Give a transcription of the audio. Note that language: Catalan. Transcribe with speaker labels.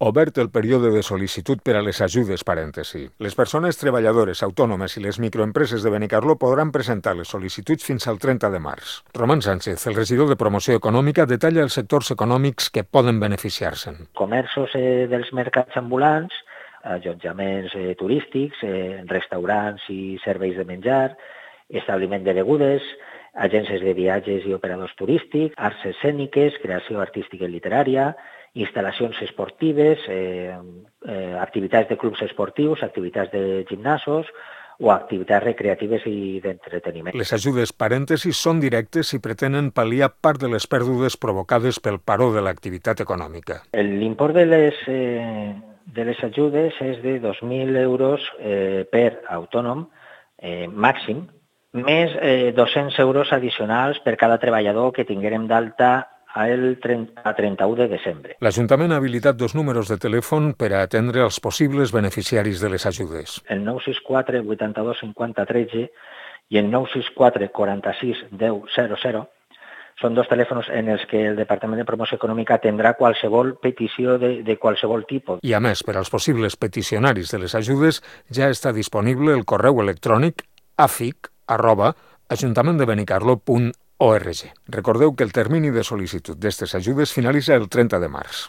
Speaker 1: Obert el període de sol·licitud per a les ajudes, parèntesi. Les persones treballadores, autònomes i les microempreses de Benicarló podran presentar les sol·licituds fins al 30 de març. Roman Sánchez, el regidor de Promoció Econòmica, detalla els sectors econòmics que poden beneficiar-se'n.
Speaker 2: Comerços dels mercats ambulants, allotjaments turístics, restaurants i serveis de menjar, establiment de begudes, agències de viatges i operadors turístics, arts escèniques, creació artística i literària, instal·lacions esportives, activitats de clubs esportius, activitats de gimnasos o activitats recreatives i d'entreteniment.
Speaker 1: Les ajudes parèntesis són directes i pretenen pal·liar part de les pèrdues provocades pel paró de l'activitat econòmica.
Speaker 2: L'import de les ajudes és de 2.000 euros per autònom màxim, més 200 euros addicionals per cada treballador que tinguérem d'alta a 31 de desembre.
Speaker 1: L'Ajuntament ha habilitat 2 números de telèfon per a atendre els possibles beneficiaris de les ajudes.
Speaker 2: El 964 82 50 13 i el 964 46 10 00 són 2 telèfons en els que el Departament de Promoció Econòmica atendrà qualsevol petició de qualsevol tipus.
Speaker 1: I a més, per als possibles peticionaris de les ajudes ja està disponible el correu electrònic afic@ajuntamendebenicarlo.org. Recordeu que el termini de sol·licitud d'aquestes ajudes finalitza el 30 de març.